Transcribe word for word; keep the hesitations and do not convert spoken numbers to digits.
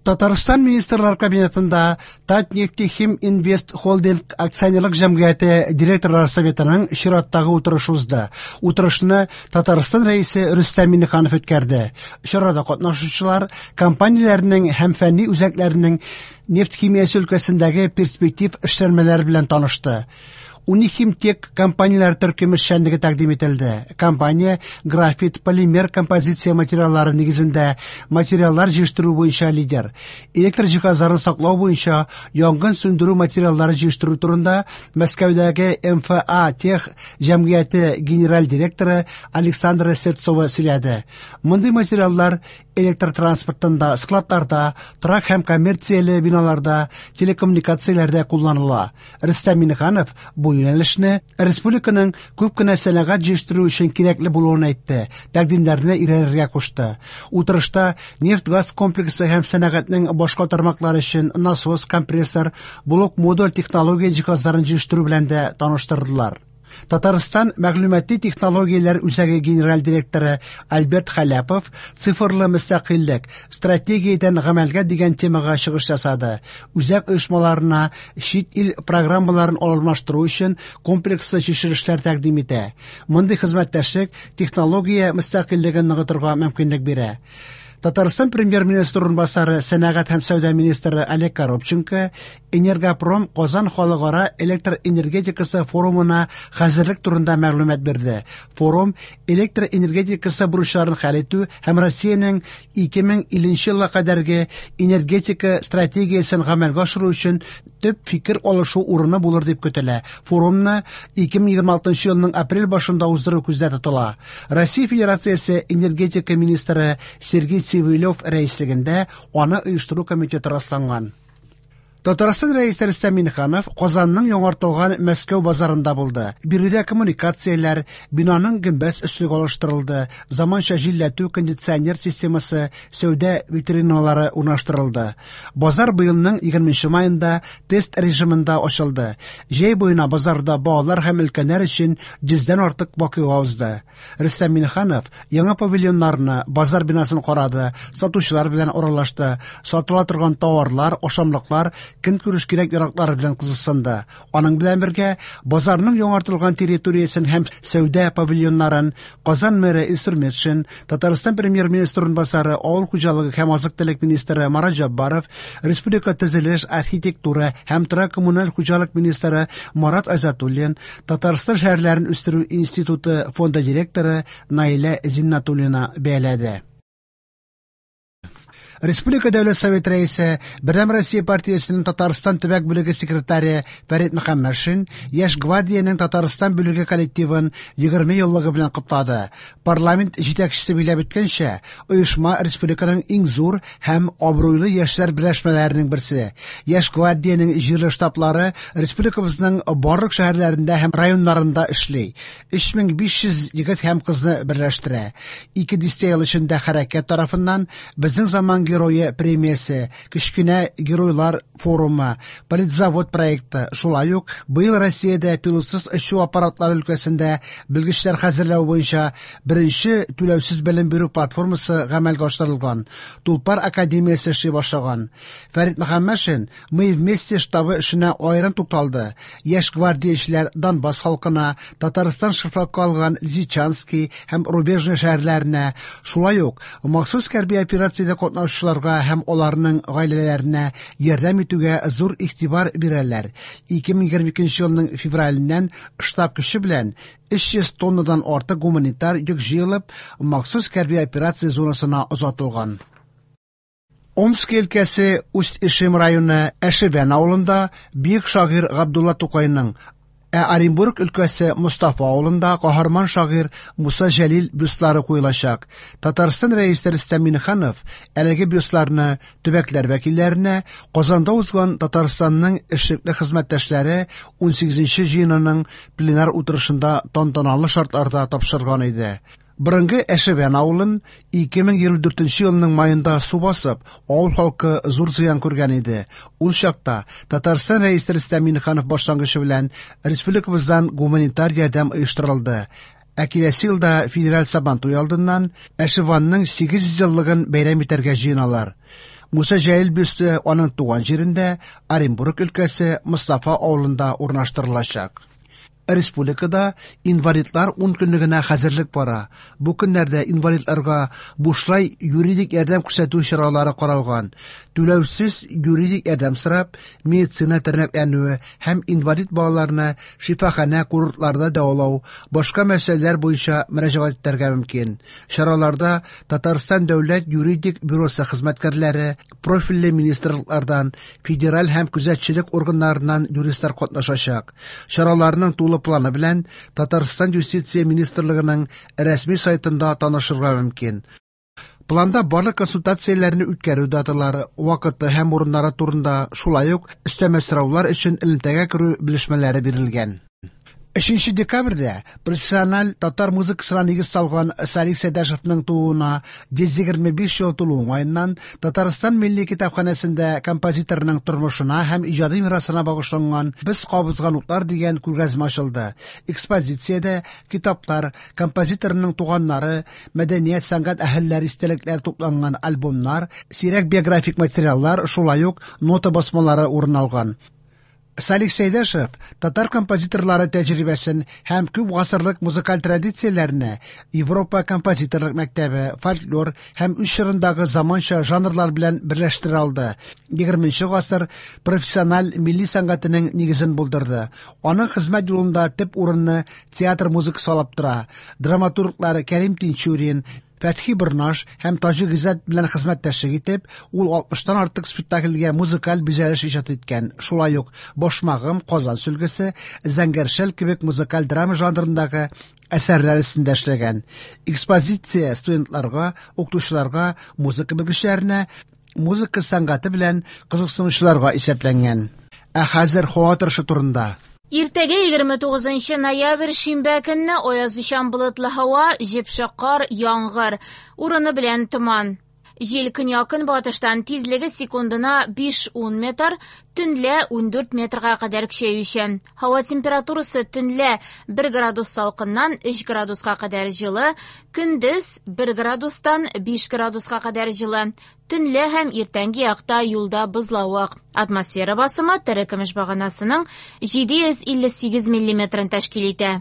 Татарстан Министрлар Кабинетында Татнефтехим Инвест Холдинг акционерлык җәмгыяте директорлар советының чираттагы утырышы узды. Утырышны Татарстан Рәисе Рөстәм Миңнеханов үткәрде. Чарада катнашучылар компанияләрнең һәм фәнни үзәкләрнең нефть химиясе өлкәсендәге перспектив эшләнмәләре белән танышты. Унихимтек компанияләр төркеме эшчәнлеге тәкъдим ителде. Компания графит, полимер композиция материаллары нигезендә материаллар җитештерү буенча лидер. Электр җиһазларын саклау буенча янгын сүндерү материаллары җитештерү турында Мәскәүдәге М Ф А Тех җәмгыяте генераль директоры Александра Сердцова сөйләде. Мондый материаллар электр транспортында, складларда, торак һәм коммерцияле биналарда, телекоммуникацияләрдә кулланыла. Рөстәм Миңнеханов бу юнәлешне республиканың күп кенә сәнәгать җитештерү өчен кирәкле булуын әйтте, тәкъдимнәрне өйрәнергә кушты. Утырышта нефть-газ комплексы һәм сәнәгатьнең башка тармаклары өчен насос, компрессор, блок-модуль технология җиһазларын җитештерү белән дә таныштырдылар. Татарстан мәгълүмати технологияләр үзәге генераль директоры Альберт Халяпов «Цифрлы мөстәкыйльлек: стратегиядән гамәлгә» дигән темага чыгыш ясады. Үзәк оешмаларына чит ил программаларын алмаштыру өчен комплекслы чишелешләр тәкъдим итә. Мондый хезмәттәшлек технология мөстәкыйльлеген ныгытырга мөмкинлек бирә. Татарстан премьер-министры урынбасары, сәнәгать һәм сәүдә министры Олег Коробченко Энергопром Казан халыкара электр энергетикасы форумына хәзерлек турында мәгълүмат бирде. Форум электр энергетикасы бурычларын хәл итү һәм Россиянең ике мең илленче елга кадәрге энергетика стратегиясен гамәлгә ашыру өчен төп фикер алышу урыны булыр дип көтелә. Форумны ике мең егерме алтынчы елның апрель башында уздыру күздә тотыла. Россия Федерациясе энергетика министры Сергей Цивилев рәислегендә аны оештыру комитеты расланган. Татарстан Рәисе Рөстәм Миңнеханов Казанның яңартылган Мәскәү базарында булды. Биредә коммуникацияләр, бинаның гөмбәз өслеге алыштырылды, заманча җилләтү кондиционер системасы, сәүдә витриналары урнаштырылды. Базар быелның егерменче маенда тест режимында ачылды. Җәй буена базарда балалар һәм өлкәннәр өчен йөздән артык вакыйга узды. Рөстәм Миңнеханов яңа павильоннарны, базар бинасын карады, сатучылар белән аралашты, сатыла торган товарлар, ашамлыклар, көнкүреш кирәк-яраклары белән кызыксынды. Аның белән бергә базарның яңартылган территориясен һәм сәүдә павильоннарын Казан мэры Илсур Метшин, Татарстан премьер-министры урынбасары, авыл хуҗалыгы һәм азык-төлек министры Марат Җәббаров, республика төзелеш, архитектура һәм торак коммуналь хуҗалык министры Марат Айзатуллин, Татарстан шәһәрләрен үстерү институты фонды директоры Наилә Зиннатуллина бәяләде. Республика Дәүләт Совет Рәисе, Бердәм Россия партиясенең Татарстан төбәк бүлеге секретаре Фәрит Мөхәммәтшин Яшь гвардиянең Татарстан бүлеге коллективын егерме еллыгы белән котлады. Парламент җитәкчесе билгеләп үткәнчә, оешма республиканың иң зур һәм абруйлы яшьләр берләшмәләренең берсе. Яшь гвардиянең җирле штаблары республикабызның барлык шәһәрләрендә һәм районнарында эшли. өч мең биш йөз егет һәм кызны берләштерә. Ике дистә ел эчендә хәрәкәт тарафыннан «Безнең заман герое» премиясе, Кечкенә геройлар форумы, Политзавод проекты, шулай ук быел Россиядә пилотсыз очу аппаратлары өлкәсендә белгечләр хәзерләү буенча беренче түләүсез белем бирү платформасы гамәлгә ашырылган. Тулпар академиясе эшли башлаган. Фәрит Мөхәммәтшин «Мы вместе» штабы эшенә аерым тукталды. Яшь гвардиячеләр Донбасс халкына, Татарстан шефлыкка алган Лисичански һәм Рубежное шәһәрләренә, шулай ук махсус хәрби операциядә катнашучыларга һәм аларның гаиләләренә ярдәм итүгә зур игътибар бирәләр. ике мең егерме икенче елның февраленнән штаб көче белән өч йөз тоннадан артык гуманитар йөк җыелып, махсус хәрби операция зонасына озатылган. Омск өлкәсе Усть-Ишем районы Әшевән авылында бөек шагыйрь Габдулла Тукайның, ә Оренбург өлкәсе Мостафа авылында каһарман шагыйрь Муса Җәлил бюстлары куелачак. Татарстан Рәисе Рөстәм Миңнеханов әлеге бюстларны төбәкләр вәкилләренә Казанда узган Татарстанның эшлекле хезмәттәшләре унсигезенче җыенының пленар утырышында тантаналы шартларда тапшырган иде. Борынгы Әшевән авылын ике мең егерме дүртенче елның маенда су басып, авыл халкы зур зыян күргән иде. Ул чакта Татарстан Рәисе Рөстәм Миңнеханов башлангычы белән республикабыздан гуманитар ярдәм оештырылды. Ә киләсе елда федераль Сабантуй алдыннан Әшеванның сигез йөз еллыгын бәйрәм итәргә җыеналар. Муса Җәлил бюсты аның туган җирендә, Оренбург өлкәсе Мостафа авылында урнаштырылачак. Республикада инвалидлар ункөнлегенә хәзерлек бара. Бу көннәрдә инвалидларга бушлай юридик ярдәм күрсәтү чаралары каралган. Түләүсез юридик ярдәм сорап, медицина тернәкләнүе һәм инвалид балаларны шифаханә-курортларда дәвалау, башка мәсьәләләр буенча мөрәҗәгать итәргә мөмкин. Чараларда Татарстан дәүләт юридик бюросы хезмәткәрләре, профильле министрлыклардан, федераль һәм күзәтчелек органнарыннан юристлар катнашачак. Чараларның тулы планы белән Татарстан Юстиция министрлыгының рәсми сайтында танышырга мөмкин. Планда барлык консультацияләрне үткәрү даталары, вакыты һәм урыннары турында, шулай ук өстәмә сораулар өчен элемтәгә керү белешмәләре бирелгән. Өченче декабрьдә профессиональ татар музыкасына нигез салган Салих Сәйдәшевның тууына йөз егерме биш ел тулу уңаеннан Татарстан Милли китапханәсендә композиторның тормышына һәм иҗади мирасына багышланган Без кабызган утлар дигән күргәзмә ачылды. Экспозициядә китаплар, композиторның туганнары, мәдәният, сәнгать әһелләре истәлекләре тупланган альбомнар, сирәк биографик материаллар, шулай ук нота басмалары урын алган. Салих Сәйдәшев татар композиторлары тәҗрибәсен һәм күп гасырлык музыкаль традицияләрне Европа композиторлык мәктәбе, фольклор һәм үз чорындагы заманча жанрлар белән берләштерә алды. Егерменче гасыр профессиональ милли сәнгатенең нигезен булдырды. Аның хезмәт юлында төп урынны театр музыкасы алып тора. Драматурглар Кәрим Тинчурин, Фәтхи Борнаш һәм Таҗи Гыйззәт белән хезмәттәшлек итеп, ул алтмыштан артык спектакльгә музыкаль бизәлеш иҗат иткән. Шулай ук Башмагым, Казан сөлгесе, Зәңгәр шәл кебек музыкаль драма жанрындагы әсәрләр өстендә эшләгән. Экспозиция студентларга, укытучыларга, музыка белгечләренә, музыка сәнгате белән кызыксынучыларга исәпләнгән. Ә хәзер һава торышы турында. Иртәгә егерме тугызынчы ноябрь шимбә көнне аязучан болытлы һава, җепшек кар, яңгыр, урыны белән томан. Җил көньяк-көнбатыштан тизлеге секундына биш-ун метр, төнлә ундүрт метрга кадәр көчәючән. Һава температурасы төнлә бер градус салкыннан өч градуска кадәр җылы, көндез бер градустан биш градуска кадәр җылы. Төнлә һәм иртәнге якта юлда бозлавык. Атмосфера басымы терекөмеш баганасының җиде йөз илле сигез миллиметрын тәшкил итә.